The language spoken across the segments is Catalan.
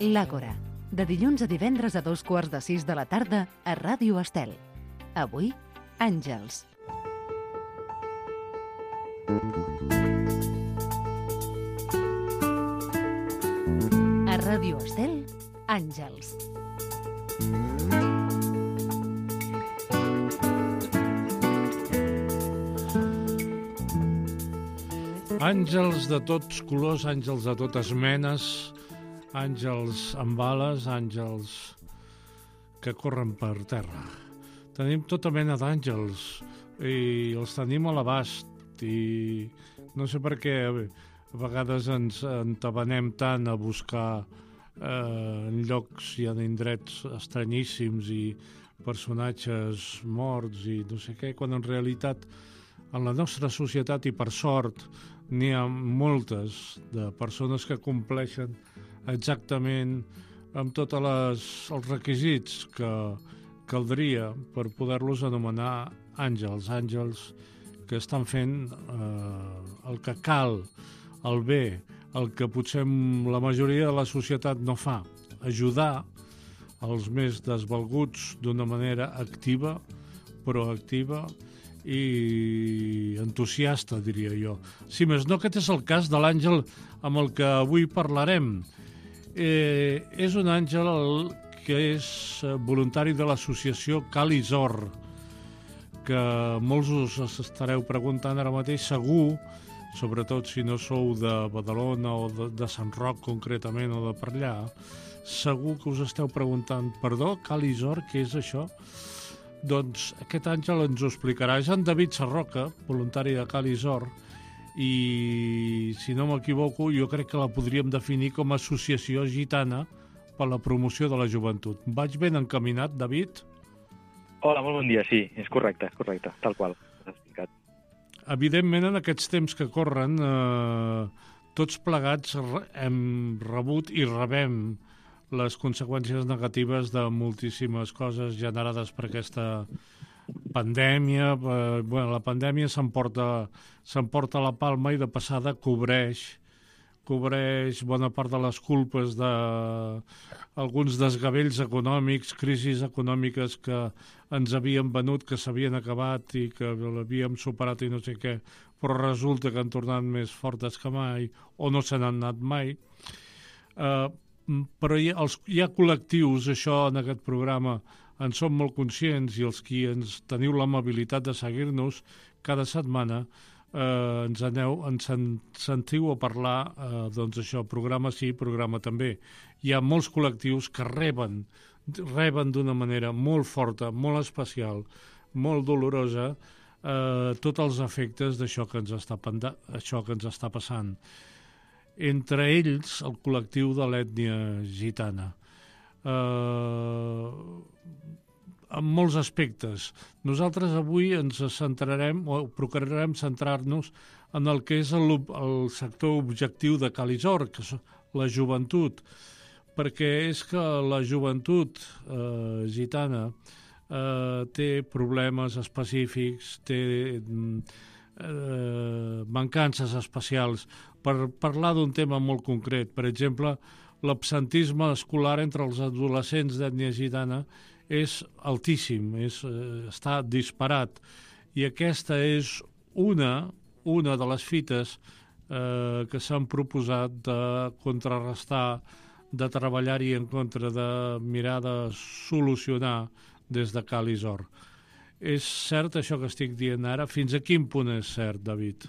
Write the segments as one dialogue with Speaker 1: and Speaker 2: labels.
Speaker 1: L'Àgora, de dilluns a divendres a 5:15 de la tarda a Ràdio Estel. Avui, Àngels. A Ràdio Estel, Àngels.
Speaker 2: Àngels de tots colors, àngels de totes menes, àngels amb ales, àngels que corren per terra. Tenim tota mena d'àngels i els tenim a l'abast i no sé per què a vegades ens entabanem tant a buscar en llocs i en indrets estranyíssims i personatges morts i no sé què, quan en realitat en la nostra societat, i per sort, n'hi ha moltes de persones que compleixen exactament amb tots els requisits que caldria per poder-los anomenar àngels. Àngels que estan fent el que cal, el bé, el que potser la majoria de la societat no fa. Ajudar els més desvalguts d'una manera activa, proactiva i entusiasta, diria jo. Si més no, aquest és el cas de l'àngel amb el que avui parlarem. És un àngel que és voluntari de l'associació Calisor, que molts us estareu preguntant ara mateix, segur, sobretot si no sou de Badalona o de Sant Roc concretament o de per allà, segur que us esteu preguntant, perdó, Calisor, què és això? Doncs aquest àngel ens ho explicarà. És en David Sarroca, voluntari de Calisor, i si no m'equivoco jo crec que la podríem definir com a associació gitana per la promoció de la joventut. Vaig ben encaminat, David?
Speaker 3: Hola, molt bon dia, sí, és correcte, tal qual, has explicat.
Speaker 2: Evidentment, en aquests temps que corren, tots plegats hem rebut i rebem les conseqüències negatives de moltíssimes coses generades per aquesta pandèmia. La pandèmia s'emporta la palma i de passada cobreix bona part de les culpes d'alguns desgavells econòmics, crisis econòmiques que ens havien venut, que s'havien acabat i que l'havíem superat i no sé què, però resulta que han tornat més fortes que mai o no se n'han anat mai. Però hi ha col·lectius, això en aquest programa en som molt conscients, i els qui ens teniu l'amabilitat de seguir-nos cada setmana ens sentiu a parlar, doncs això, programa sí, programa també. Hi ha molts col·lectius que reben d'una manera molt forta, molt especial, molt dolorosa, tots els efectes d'això que ens està passant. Entre ells, el col·lectiu de l'ètnia gitana. En molts aspectes. Nosaltres avui ens centrarem, o procurarem centrar-nos en el que és el sector objectiu de Calisor, que és la joventut, perquè és que la joventut gitana té problemes específics, té mancances especials. Per parlar d'un tema molt concret, per exemple, l'absentisme escolar entre els adolescents d'ètnia gitana és altíssim, està disparat, i aquesta és una de les fites que s'han proposat de contrarrestar, de treballar-hi en contra, de mirar de solucionar des de Calisor. És cert això que estic dient ara? Fins a quin punt és cert, David?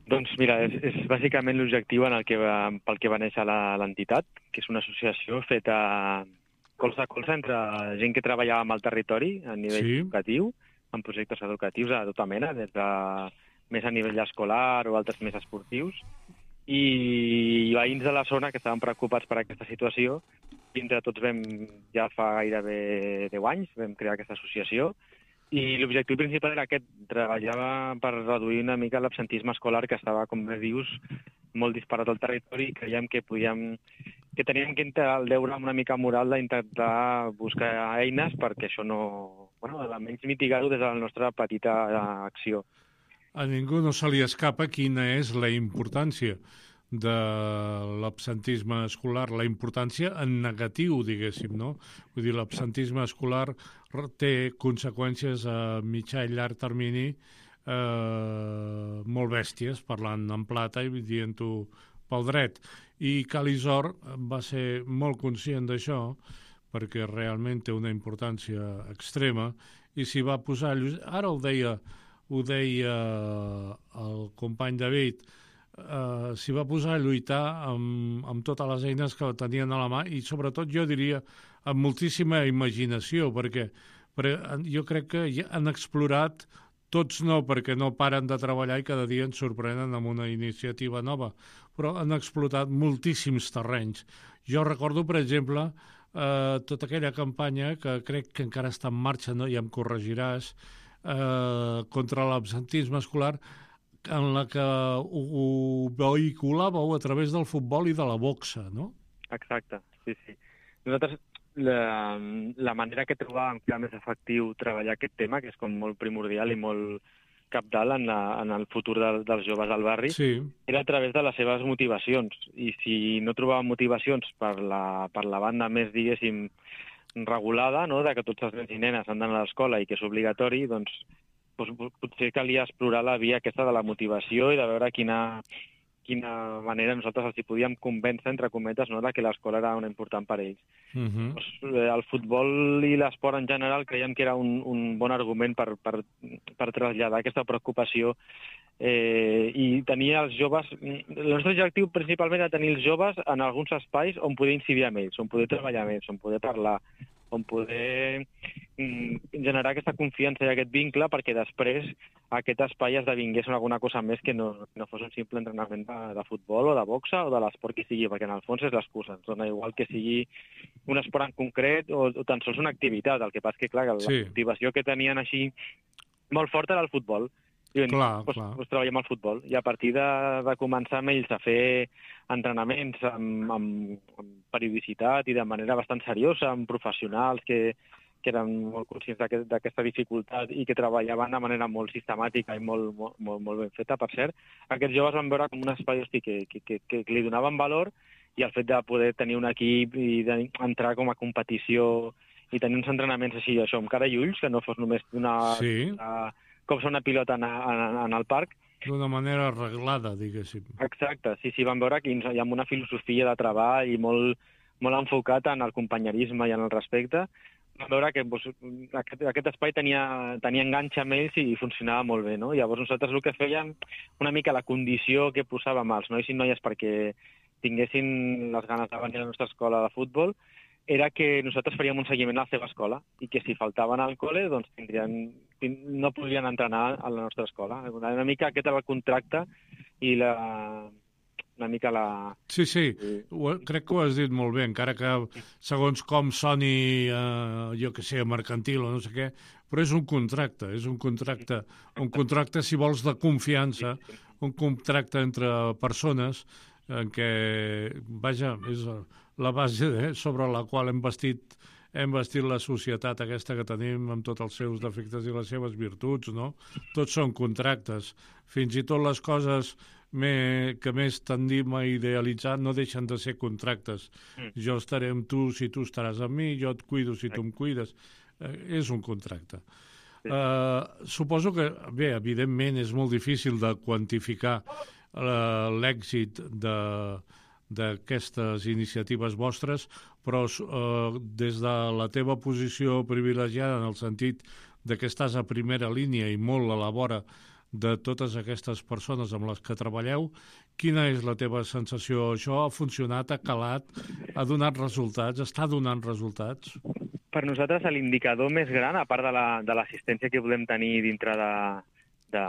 Speaker 3: Doncs mira, és bàsicament l'objectiu pel que va néixer l'entitat, que és una associació feta colze a colze entre gent que treballava amb el territori a nivell educatiu, en projectes educatius a tota mena, des de més a nivell escolar o altres més esportius, i veïns de la zona que estaven preocupats per aquesta situació, i entre tots ja fa gairebé 10 anys, vam crear aquesta associació, i l'objectiu principal era aquest, treballava per reduir una mica l'absentisme escolar que estava, com bé dius, molt disparat al territori, i creiem que teníem que entrar el deure amb una mica moral d'intentar buscar eines perquè això no... almenys mitigar-ho des de la nostra petita acció.
Speaker 2: A ningú no se li escapa quina és la importància de l'absentisme escolar, la importància en negatiu, diguéssim, no? Vull dir, l'absentisme escolar té conseqüències a mitjà i llarg termini molt bèsties, parlant en plata i dient-ho pel dret. I Calisor va ser molt conscient d'això, perquè realment té una importància extrema, i s'hi va posar... Ara ho deia el company David, s'hi va posar a lluitar amb totes les eines que tenien a la mà i, sobretot, jo diria, amb moltíssima imaginació, perquè jo crec que ja han explorat, tots no, perquè no paren de treballar i cada dia ens sorprenen amb una iniciativa nova, però han explotat moltíssims terrenys. Jo recordo, per exemple, tota aquella campanya que crec que encara està en marxa, no? Ja em corregiràs, contra l'absentisme escolar, en la que ho vehiculàveu a través del futbol i de la boxa, no?
Speaker 3: Exacte, sí. Nosaltres, la manera que trobàvem que era més efectiu treballar aquest tema, que és com molt primordial i molt cabdal en el futur dels joves del barri, sí, era a través de les seves motivacions. I si no trobàvem motivacions per la banda més, diguéssim, regulada, no?, de que tots els nens i nenes han d'anar a l'escola i que és obligatori, doncs potser calia explorar la via aquesta de la motivació i de veure quina manera nosaltres els hi podíem convèncer, entre cometes, no?, de que l'escola era una important per a ells. El futbol i l'esport en general creiem que era un bon argument per traslladar aquesta preocupació i tenir els joves... El nostre objectiu principalment era tenir els joves en alguns espais on poder incidir amb ells, on poder treballar amb ells, on poder parlar, on poder generar aquesta confiança i aquest vincle perquè després aquest espai esdevingués alguna cosa més que no fos un simple entrenament de futbol o de boxa o de l'esport que sigui, perquè en el fons és l'excusa. Ens dona igual que sigui un esport en concret o tan sols una activitat. El que passa que, clar, la motivació que tenien així molt forta era el futbol. I doncs treballem al futbol. I a partir de començar amb ells a fer entrenaments amb periodicitat i de manera bastant seriosa, amb professionals que eren molt conscients d'aquesta dificultat i que treballaven de manera molt sistemàtica i molt ben feta, per cert, aquests joves van veure com un espai que li donaven valor, i el fet de poder tenir un equip i d'entrar com a competició i tenir uns entrenaments així, això, amb cara i ulls, que no fos només com ser una pilota en el parc.
Speaker 2: D'una manera arreglada, diguéssim.
Speaker 3: Exacte, sí, van veure que hi ha una filosofia de treball i molt enfocat en el companyerisme i en el respecte. Vam veure que aquest espai tenia enganxa amb ells i funcionava molt bé, no? Llavors nosaltres el que fèiem, una mica la condició que posàvem als nois i noies perquè tinguessin les ganes de venir a la nostra escola de futbol, era que nosaltres faríem un seguiment a la seva escola i que si faltaven al col·le doncs no podrien entrenar a la nostra escola. Una mica aquest era el contracte i una mica la...
Speaker 2: Sí, crec que ho has dit molt bé, encara que segons com soni, jo que sé, mercantil o no sé què, però és un contracte, un contracte, si vols, de confiança, un contracte entre persones en què, vaja, és la base sobre la qual hem bastit la societat aquesta que tenim amb tots els seus defectes i les seves virtuts, no? Tots són contractes. Fins i tot les coses que més tendim a idealitzar no deixen de ser contractes. Jo estaré amb tu si tu estaràs amb mi, jo et cuido si tu em cuides. És un contracte. Suposo que, bé, evidentment és molt difícil de quantificar l'èxit d'aquestes iniciatives vostres, però des de la teva posició privilegiada, en el sentit que estàs a primera línia i molt a la vora de totes aquestes persones amb les que treballeu, quina és la teva sensació? Això ha funcionat, ha calat, ha donat resultats, està donant resultats?
Speaker 3: Per nosaltres l'indicador més gran, a part de l'assistència que volem tenir dintre de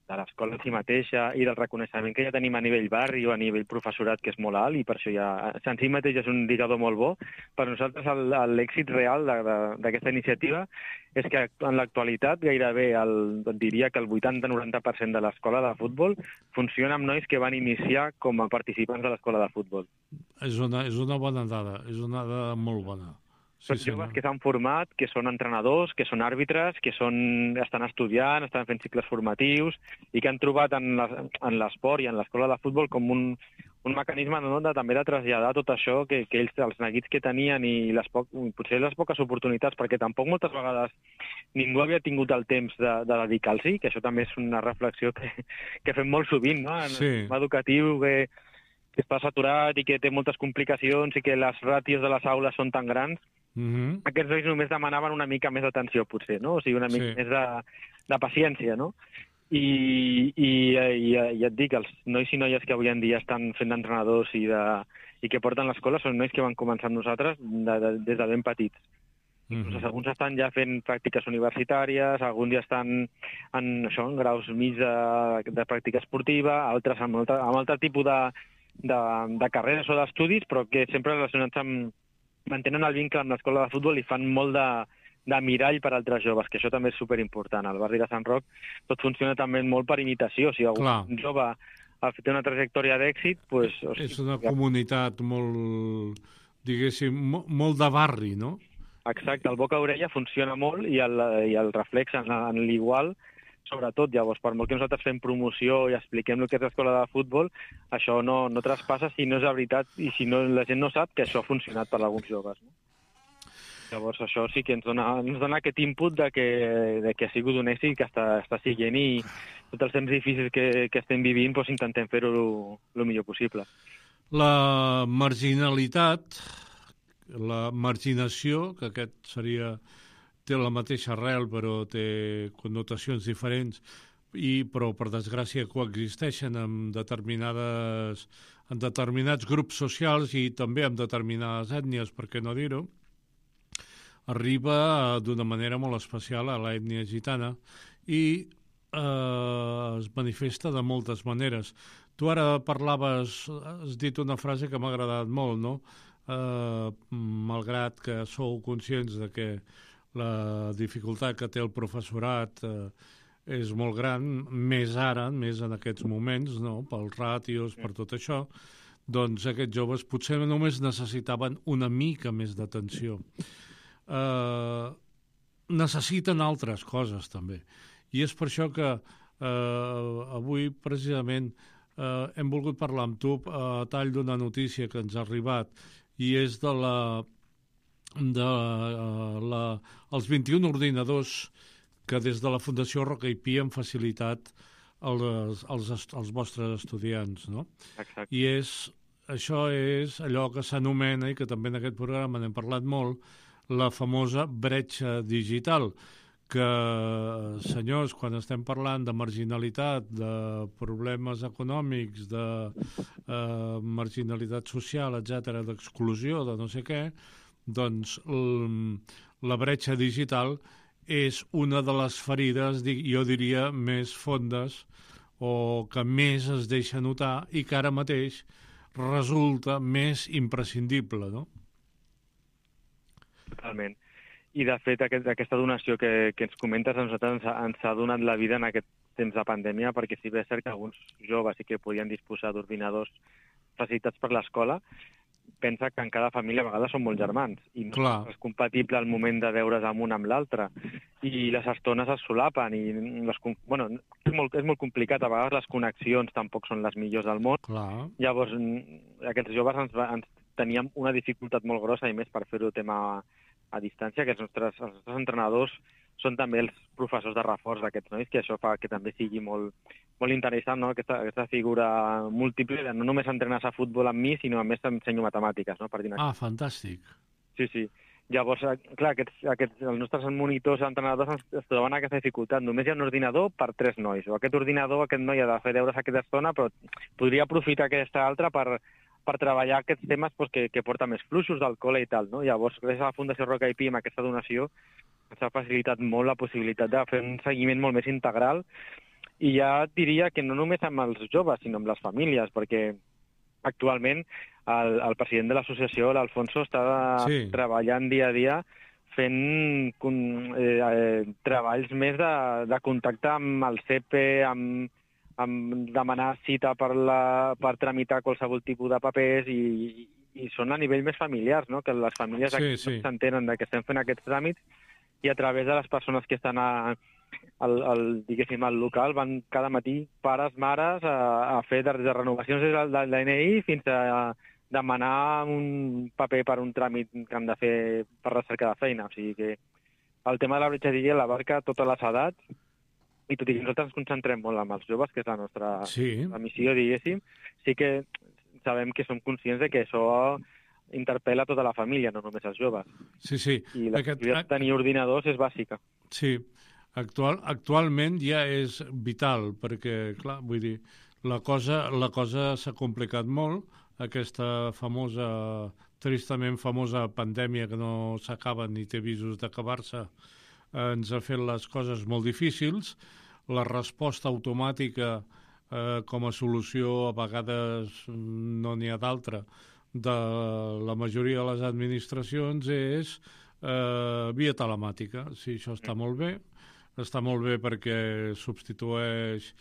Speaker 3: l'escola en si mateixa i del reconeixement que ja tenim a nivell barri o a nivell professorat, que és molt alt, i per això ja en si mateix és un indicador molt bo. Per nosaltres l'èxit real d'aquesta iniciativa és que en l'actualitat gairebé diria que el 80-90% de l'escola de futbol funciona amb nois que van iniciar com a participants de l'escola de futbol.
Speaker 2: És una bona dada, és una dada molt bona.
Speaker 3: Són joves que s'han format, que són entrenadors, que són àrbitres, que estan estudiant, estan fent cicles formatius i que han trobat en l'esport i en l'escola de futbol com un mecanisme també de traslladar tot això que ells, els neguits que tenien i potser les poques oportunitats, perquè tampoc moltes vegades ningú havia tingut el temps de dedicar-s'hi, que això també és una reflexió que fem molt sovint, no? En el sistema educatiu que està saturat i que té moltes complicacions i que les ràtios de les aules són tan grans. Aquests nois només demanaven una mica més d'atenció, potser, no? O sigui, una mica més de paciència, no? I ja et dic, els nois i noies que avui en dia estan fent d'entrenadors i que porten l'escola són nois que van començar amb nosaltres des de ben petits. Alguns estan ja fent pràctiques universitàries, alguns ja estan en graus mig de pràctica esportiva, altres amb altre tipus de carreres o d'estudis, però que sempre relacionats amb mantenen el vincle amb l'escola de futbol i fan molt de mirall per altres joves, que això també és superimportant. Al barri de Sant Roc tot funciona també molt per imitació. Si algun jove té una trajectòria d'èxit...
Speaker 2: És una comunitat molt, diguéssim, molt de barri, no?
Speaker 3: Exacte, el boca-orella funciona molt i el reflex en l'igual, sobretot, llavors, per molt que nosaltres fem promoció i expliquem el que és l'escola de futbol, això no traspassa si no és la veritat i si la gent no sap que això ha funcionat per alguns joves. No? Llavors, això sí que ens dona aquest input de que ha sigut un èxit que està siguent i tots els temps difícils que estem vivint intentem fer-ho el millor possible.
Speaker 2: La marginalitat, la marginació, que aquest té la mateixa arrel però té connotacions diferents, però per desgràcia coexisteixen amb determinats grups socials i també amb determinades ètnies, per què no dir-ho, arriba d'una manera molt especial a l'ètnia gitana i es manifesta de moltes maneres. Tu ara has dit una frase que m'ha agradat molt, no? Malgrat que sou conscients de que la dificultat que té el professorat és molt gran, més ara, més en aquests moments, no? Pels ràtios, per tot això, doncs aquests joves potser només necessitaven una mica més d'atenció. Necessiten altres coses, també. I és per això que avui, precisament, hem volgut parlar amb tu a tall d'una notícia que ens ha arribat i és els 21 ordinadors que des de la Fundació Roca i Pi han facilitat als vostres estudiants, no?
Speaker 3: Exacte.
Speaker 2: I això és allò que s'anomena, i que també en aquest programa n'hem parlat molt, la famosa bretxa digital, que, senyors, quan estem parlant de marginalitat, de problemes econòmics, de marginalitat social, etc., d'exclusió, de no sé què, doncs la bretxa digital és una de les ferides, jo diria, més fondes o que més es deixa notar i que ara mateix resulta més imprescindible, no?
Speaker 3: Totalment. I, de fet, aquesta donació que ens comentes a nosaltres ens ha donat la vida en aquest temps de pandèmia, perquè si bé és cert que alguns joves sí que podien disposar d'ordinadors facilitats per l'escola, pensa que en cada família a vegades són molts germans i no és compatible el moment de veure's amb un amb l'altre i les estones es solapen i és molt complicat, a vegades les connexions tampoc són les millors del món. Llavors aquests joves ens teníem una dificultat molt grossa i més per fer-ho tema a distància, que els nostres entrenadors són també els professors de reforç d'aquests nois, que això fa que també sigui molt interessant, no? Aquesta figura múltiple de no només entrenes a futbol amb mi, sinó a més ensenyo matemàtiques, no?
Speaker 2: Fantàstic.
Speaker 3: Sí. Llavors, clar, els nostres monitors entrenadors es troben aquesta dificultat. Només hi ha un ordinador per 3 nois, o aquest noi ha de fer deures aquesta estona, però podria aprofitar aquesta altra per treballar aquests temes que porta més fluxos del col·le i tal, no? Llavors, gràcies a la Fundació Roca i Pi, amb aquesta donació, ens ha facilitat molt la possibilitat de fer un seguiment molt més integral i ja diria que no només amb els joves, sinó amb les famílies, perquè actualment el president de l'associació, l'Alfonso, està treballant dia a dia fent treballs més de contacte amb el CEPE, demanar cita per tramitar qualsevol tipus de papers i són a nivell més familiars, no? Que les famílies s'entenen que estem fent aquests tràmits i a través de les persones que estan diguéssim, al local van cada matí pares, mares a fer de renovacions del DNI fins a demanar un paper per un tràmit que han de fer per recerca de feina. O sigui que el tema de la bretxa digital l'abarca totes les edats i tot i que nosaltres ens concentrem molt amb els joves, que és la nostra missió, diguéssim, sí que sabem que som conscients de que això interpel·la tota la família, no només els joves.
Speaker 2: Sí.
Speaker 3: I la possibilitat de tenir ordinadors és bàsica.
Speaker 2: Sí. Actualment ja és vital, perquè, clar, vull dir, la cosa s'ha complicat molt, aquesta tristament famosa pandèmia que no s'acaba ni té visos d'acabar-se, ens ha fet les coses molt difícils. La resposta automàtica com a solució, a vegades no n'hi ha d'altra, de la majoria de les administracions és via telemàtica. Sí, això està molt bé perquè substitueix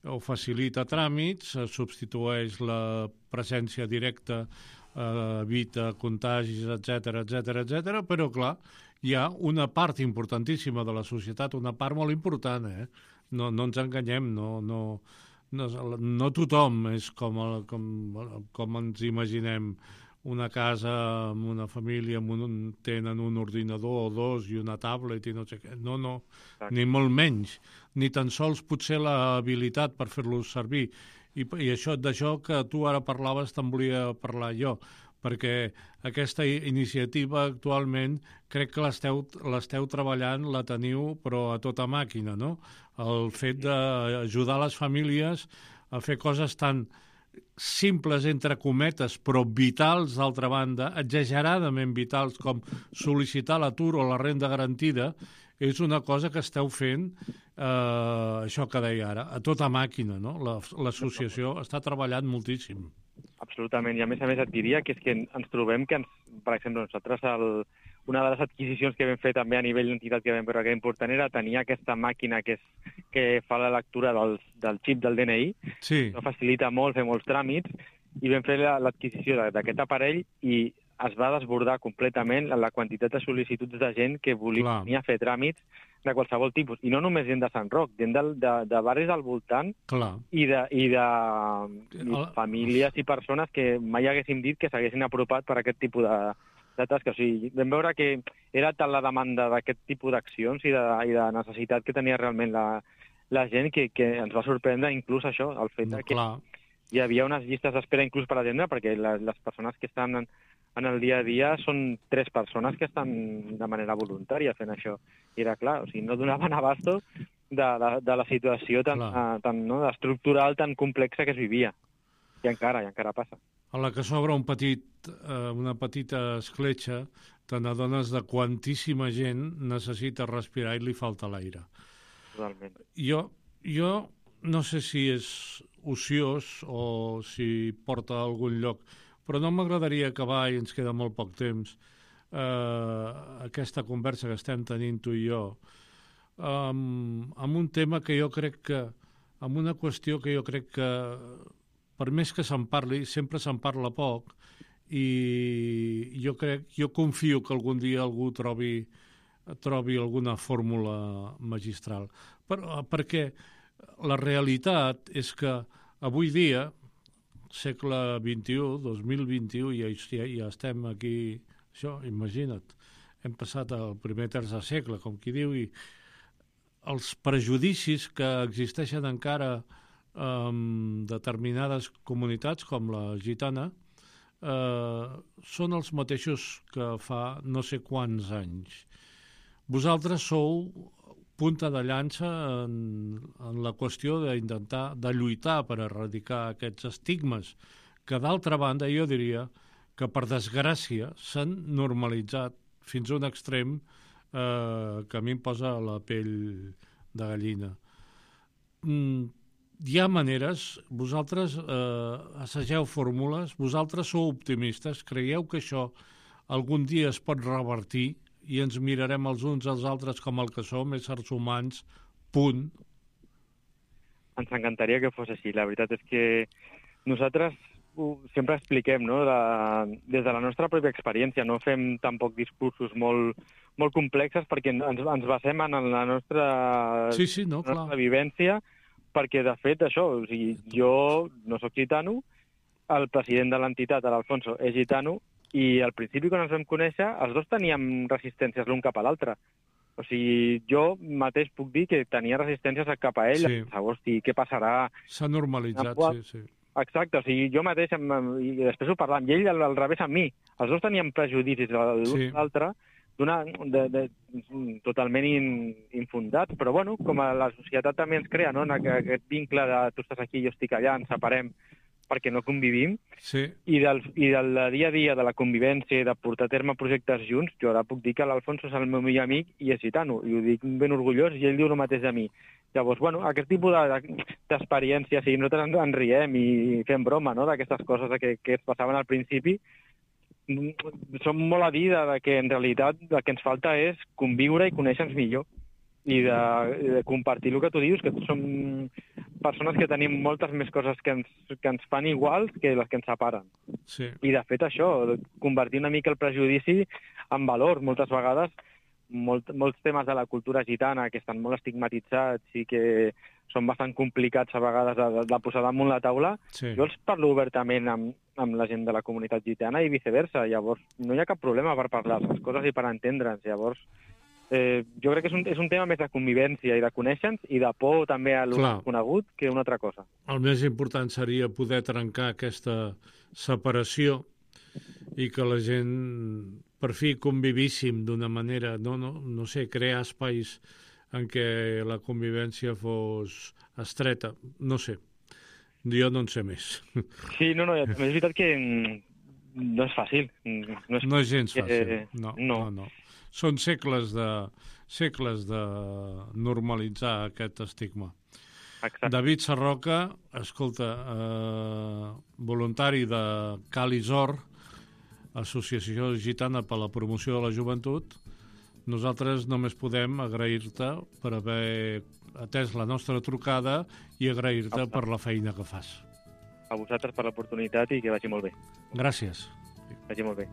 Speaker 2: o facilita tràmits, substitueix la presència directa, evita contagis, etc. Però, clar, hi ha una part importantíssima de la societat, una part molt important, no ens enganyem, no tothom és com ens imaginem. Una casa amb una família tenen un ordinador o dos i una tablet i no sé què. No, ni molt menys. Ni tan sols potser l'habilitat per fer-los servir. I d'això que tu ara parlaves te'n volia parlar jo, perquè aquesta iniciativa actualment crec que l'esteu treballant, la teniu, però a tota màquina, no? El fet d'ajudar les famílies a fer coses tan simples, entre cometes, però vitals, d'altra banda, exageradament vitals, com sol·licitar l'atur o la renda garantida, és una cosa que esteu fent, això que deia ara, a tota màquina, no? L'associació està treballant moltíssim.
Speaker 3: Absolutament, i a més et diria que és que ens trobem que, per exemple, nosaltres una de les adquisicions que vam fer també a nivell d'entitat que vam veure que era important era tenir aquesta màquina que fa la lectura del xip del DNI.
Speaker 2: Sí.
Speaker 3: Això facilita molt fer molts tràmits i vam fer l'adquisició d'aquest aparell i es va desbordar completament la quantitat de sol·licituds de gent que volia venir a fer tràmits de qualsevol tipus. I no només gent de Sant Roc, gent de barris al voltant i de famílies i persones que mai haguéssim dit que s'haguessin apropat per aquest tipus de tasca. O sigui, vam veure que era tal la demanda d'aquest tipus d'accions i de necessitat que tenia realment la gent que ens va sorprendre inclús això, el fet que hi havia unes llistes d'espera inclús per atendre, perquè les persones que estan en el dia a dia són 3 persones que estan de manera voluntària fent això. I era clar, o sigui, no donaven abasto de la situació tan estructural, tan complexa que es vivia. I encara passa.
Speaker 2: A la que s'obre una petita escletxa, te n'adones de quantíssima gent necessita respirar i li falta l'aire.
Speaker 3: Totalment.
Speaker 2: Jo no sé si és ociós o si porta a algun lloc, però no m'agradaria acabar, i ens queda molt poc temps, aquesta conversa que estem tenint tu i jo, amb un tema que jo crec que, amb una qüestió que jo crec que, per més que se'n parli, sempre se'n parla poc, i jo confio que algun dia algú trobi alguna fórmula magistral. Perquè la realitat és que avui dia, segle XXI, 2021, ja estem aquí, això, imagina't, hem passat al primer terç de segle, com qui diu, i els prejudicis que existeixen encara en determinades comunitats, com la gitana, són els mateixos que fa no sé quants anys. Vosaltres sou punta de llança en la qüestió d'intentar, de lluitar per erradicar aquests estigmes que, d'altra banda, jo diria que, per desgràcia, s'han normalitzat fins a un extrem que a mi em posa la pell de gallina. Hi ha maneres, vosaltres assageu fórmules, vosaltres sou optimistes, creieu que això algun dia es pot revertir i ens mirarem els uns als altres com el que som, éssers humans, punt?
Speaker 3: ens encantaria que fos així. La veritat és que nosaltres sempre expliquem, no? Des de la nostra pròpia experiència, no fem tampoc discursos molt complexes perquè ens basem en la nostra, nostra vivència, perquè de fet això, o sigui, jo no sóc gitano, el president de l'entitat, l'Alfonso, és gitano, i al principi quan ens vam conèixer els dos teníem resistències l'un cap a l'altre. O sigui, jo mateix puc dir que tenia resistències cap a ell, hosti, què passarà?
Speaker 2: S'ha normalitzat, sí.
Speaker 3: Exacte, o sigui, jo mateix, i després ho parlàvem, i ell al revés amb mi. Els dos teníem prejudicis l'un a l'altre, totalment infundats, però bueno, com a la societat també ens crea, no?, aquest vincle de tu estàs aquí, jo estic allà, ens separem perquè no convivim, i del dia a dia de la convivència i de portar a terme projectes junts, jo ara puc dir que l'Alfonso és el meu millor amic i és gitano, i ho dic ben orgullós, i ell diu el mateix de mi. Llavors, bueno, aquest tipus d'experiències, i nosaltres ens riem i fem broma, no?, d'aquestes coses que es passaven al principi, som molt a dir que en realitat el que ens falta és conviure i conèixer-nos millor, i de compartir el que tu dius, que som persones que tenim moltes més coses que ens fan iguals que les que ens separen.
Speaker 2: Sí.
Speaker 3: I de fet això, convertir una mica el prejudici en valor. Moltes vegades, molts temes de la cultura gitana que estan molt estigmatitzats i que són bastant complicats a vegades de posar damunt la taula, jo els parlo obertament amb la gent de la comunitat gitana i viceversa. Llavors, no hi ha cap problema per parlar les coses i per entendre'ns. Llavors, jo crec que és un tema més de convivència i de conèixer-nos i de por també a conegut que una altra cosa.
Speaker 2: El més important seria poder trencar aquesta separació i que la gent per fi convivíssim d'una manera, no sé, crear espais en què la convivència fos estreta, no sé. Jo no en sé més.
Speaker 3: Sí, no, és veritat que no és fàcil.
Speaker 2: No és gens fàcil, no. Són segles de normalitzar aquest estigma.
Speaker 3: Exacte.
Speaker 2: David Sarroca, escolta, voluntari de Calisor, Associació Gitana per la Promoció de la Joventut, nosaltres només podem agrair-te per haver atès la nostra trucada i agrair-te per la feina que fas.
Speaker 3: A vosaltres per l'oportunitat i que vagi molt bé.
Speaker 2: Gràcies.
Speaker 3: Vagi molt bé.